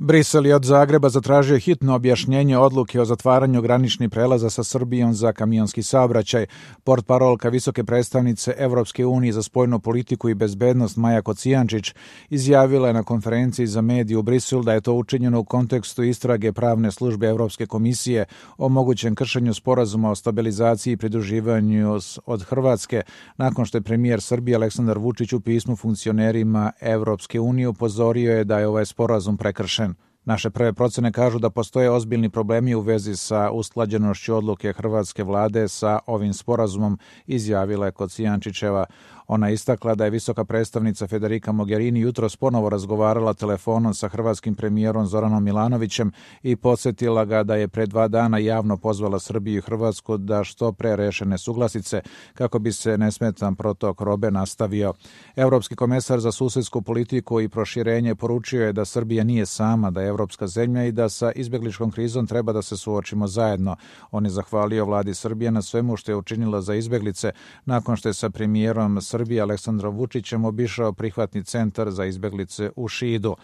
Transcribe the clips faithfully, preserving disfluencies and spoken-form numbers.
Brisel je od Zagreba zatražio hitno objašnjenje odluke o zatvaranju graničnih prelaza sa Srbijom za kamionski saobraćaj. Portparolka visoke predstavnice Evropske unije za spoljnu politiku i bezbednost Maja Kocijančić izjavila je na konferenciji za medije u Briselu da je to učinjeno u kontekstu istrage pravne službe Evropske komisije o mogućem kršenju sporazuma o stabilizaciji i pridruživanju od Hrvatske, nakon što je premijer Srbije Aleksandar Vučić u pismu funkcionerima Evropske unije upozorio je da je ovaj sporazum prekršen. Naše prve procene kažu da postoje ozbiljni problemi u vezi sa usklađenošću odluke hrvatske vlade sa ovim sporazumom, izjavila je Kocijančićeva. Ona istakla da je visoka predstavnica Federica Mogherini jutros ponovo razgovarala telefonom sa hrvatskim premijerom Zoranom Milanovićem i podsjetila ga da je pre dva dana javno pozvala Srbiju i Hrvatsku da što pre reše nesuglasice kako bi se nesmetan protok robe nastavio. Evropski komesar za susedsku politiku i proširenje poručio je da Srbija nije sama, da je evropska zemlja i da sa izbegličkom krizom treba da se suočimo zajedno. On je zahvalio vladi Srbije na svemu što je učinila za izbeglice nakon što je sa premijerom Srbije Aleksandrom Vučićem obišao prihvatni centar za izbeglice u Šidu.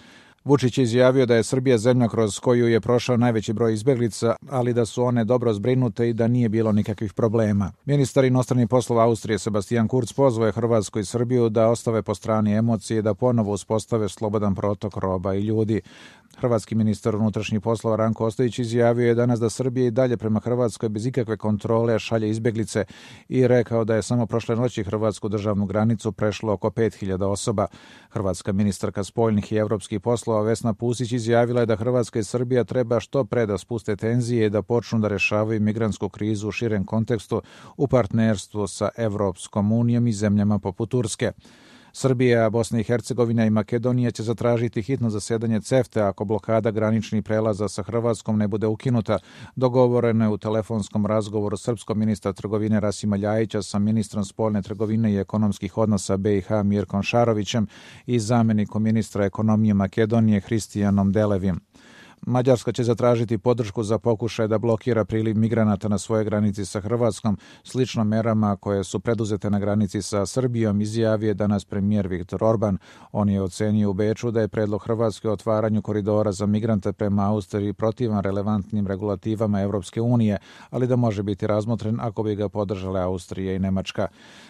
Vučić je izjavio da je Srbija zemlja kroz koju je prošao najveći broj izbeglica, ali da su one dobro zbrinute i da nije bilo nikakvih problema. Ministar inostranih poslova Austrije Sebastian Kurz pozvao je Hrvatsku i Srbiju da ostave po strani emocije i da ponovo uspostave slobodan protok roba i ljudi. Hrvatski ministar unutrašnjih poslova Ranko Ostojić izjavio je danas da Srbija i dalje prema Hrvatskoj bez ikakve kontrole šalje izbeglice i rekao da je samo prošle noći hrvatsku državnu granicu prešlo oko pet hiljada osoba. Hrvatska ministarka spoljnih i evropskih poslova Vesna Pusić izjavila je da Hrvatska i Srbija treba što pre da spuste tenzije i da počnu da rešavaju migrantsku krizu u širem kontekstu u partnerstvu sa Evropskom unijom i zemljama poput Turske. Srbija, Bosna i Hercegovina i Makedonija će zatražiti hitno zasedanje CEFTA ako blokada graničnih prelaza sa Hrvatskom ne bude ukinuta. Dogovoreno je u telefonskom razgovoru srpskog ministra trgovine Rasima Ljajića sa ministrom spoljne trgovine i ekonomskih odnosa B i H Mirkom Šarovićem i zamjenikom ministra ekonomije Makedonije Hristijanom Delevim. Mađarska će zatražiti podršku za pokušaj da blokira priliv migranata na svojoj granici sa Hrvatskom, slično merama koje su preduzete na granici sa Srbijom, izjavio je danas premijer Viktor Orban. On je ocenio u Beču da je predlog Hrvatske o otvaranju koridora za migrante prema Austriji protivan relevantnim regulativama Evropske unije, ali da može biti razmotren ako bi ga podržale Austrija i Nemačka.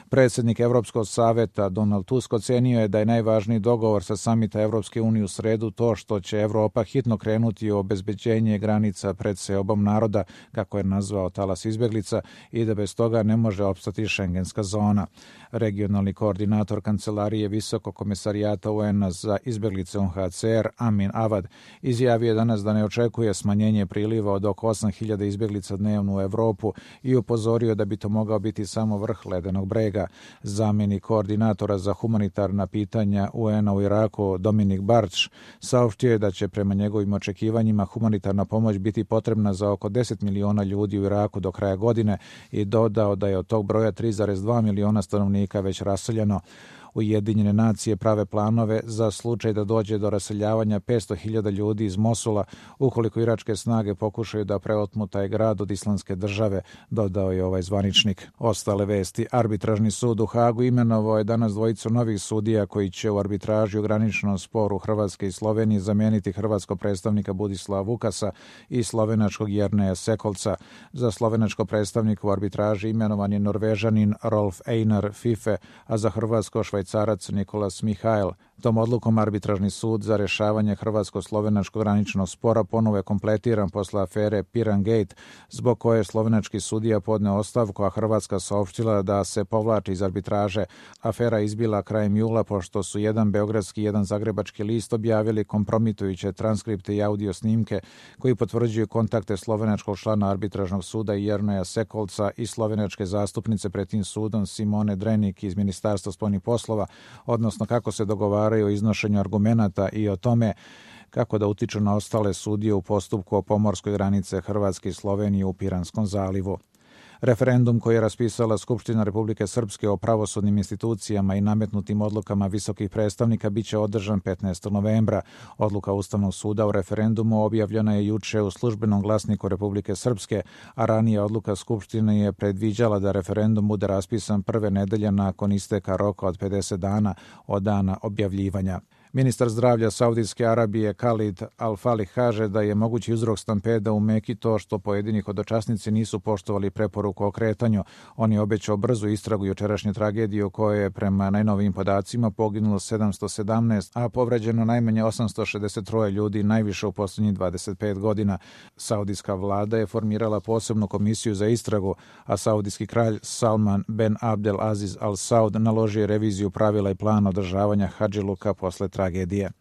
Predsjednik Evropskog saveta Donald Tusk ocenio je da je najvažniji dogovor sa samita Evropske unije u sredu to što će Evropa hitno krenuti o obezbeđenje granica pred seobom naroda, kako je nazvao talas izbeglica, i da bez toga ne može opstati šengenska zona. Regionalni koordinator Kancelarije Visokog komesarijata U N-a za izbeglice U N H C R Amin Avad izjavio je danas da ne očekuje smanjenje priliva od oko osam hiljada izbeglica dnevno u Evropu i upozorio da bi to mogao biti samo vrh ledenog brega. Zamjenik koordinatora za humanitarna pitanja U N-a u Iraku Dominik Barč saopštio je da će prema njegovim očekivanjima humanitarna pomoć biti potrebna za oko deset miliona ljudi u Iraku do kraja godine i dodao da je od tog broja tri zarez dva miliona stanovnika već raseljeno. Ujedinjene nacije prave planove za slučaj da dođe do raseljavanja petsto hiljada ljudi iz Mosula ukoliko iračke snage pokušaju da preotmu taj grad od Islamske države, dodao je ovaj zvaničnik. Ostale vesti. Arbitražni sud u Hagu imenovao je danas dvojicu novih sudija koji će u arbitraži u graničnom sporu Hrvatske i Slovenije zameniti hrvatskog predstavnika Budislava Vukasa i slovenačkog Jerneja Sekolca. Za slovenačko predstavnika u arbitraži imenovan je Norvežanin Rolf Einar Fife, a za hrvatsko Švajcarac Nikolas Mihajl. Tom odlukom arbitražni sud za rješavanje hrvatsko-slovenačkog graničnog spora ponovo je kompletiran posle afere Piran Gate, zbog koje je slovenački sudija podneo ostavku, a Hrvatska saopštila da se povlači iz arbitraže. Afera izbila krajem jula pošto su jedan beogradski i jedan zagrebački list objavili kompromitujuće transkripte i audio snimke koji potvrđuju kontakte slovenačkog člana arbitražnog suda Jerneja Sekolca i slovenačke zastupnice pred tim sudom Simone Drenik iz Ministarstva spoljnih poslova, odnosno kako se dogovaraju o iznošenju argumenata i o tome kako da utiču na ostale sudije u postupku o pomorskoj granice Hrvatske i Slovenije u Piranskom zalivu. Referendum koji je raspisala Skupština Republike Srpske o pravosudnim institucijama i nametnutim odlukama visokih predstavnika biće održan petnaestog novembra. Odluka Ustavnog suda o referendumu objavljena je juče u službenom glasniku Republike Srpske, a ranije odluka Skupštine je predviđala da referendum bude raspisan prve nedelje nakon isteka roka od pedeset dana od dana objavljivanja. Ministar zdravlja Saudijske Arabije Khalid Al-Falih kaže da je mogući uzrok stampeda u Meki to što pojedini hodočasnici nisu poštovali preporuku o kretanju. On je obećao brzu istragu jučerašnje tragedije u kojoj je prema najnovijim podacima poginulo sedamsto sedamnaest, a povređeno najmanje osamsto šezdeset tri ljudi, najviše u posljednjih dvadeset pet godina. Saudijska vlada je formirala posebnu komisiju za istragu, a saudijski kralj Salman Ben Abdel Aziz Al Saud naložio reviziju pravila i plana održavanja hadžiluka posle tragedije.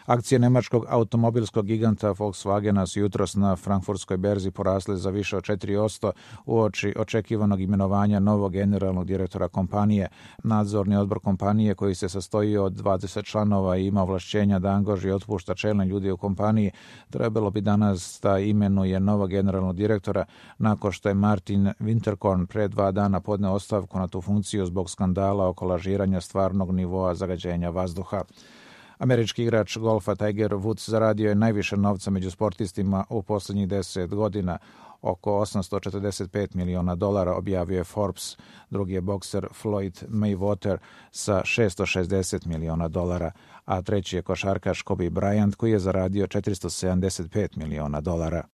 Akcije nemačkog automobilskog giganta Volkswagena su jutros na frankfurtskoj berzi porasle za više od četiri posto uoči očekivanog imenovanja novog generalnog direktora kompanije. Nadzorni odbor kompanije, koji se sastoji od dvadeset članova i ima ovlašćenja da angažuje i otpušta čelne ljude u kompaniji, trebalo bi danas da imenuje novog generalnog direktora nakon što je Martin Winterkorn pre dva dana podneo ostavku na tu funkciju zbog skandala oko lažiranja stvarnog nivoa zagađenja vazduha. Američki igrač golfa Tiger Woods zaradio je najviše novca među sportistima u posljednjih deset godina, oko osamsto četrdeset pet miliona dolara, objavio je Forbes. Drugi je bokser Floyd Mayweather sa šessto šezdeset miliona dolara, a treći je košarkaš Kobe Bryant koji je zaradio četiristo sedamdeset pet miliona dolara.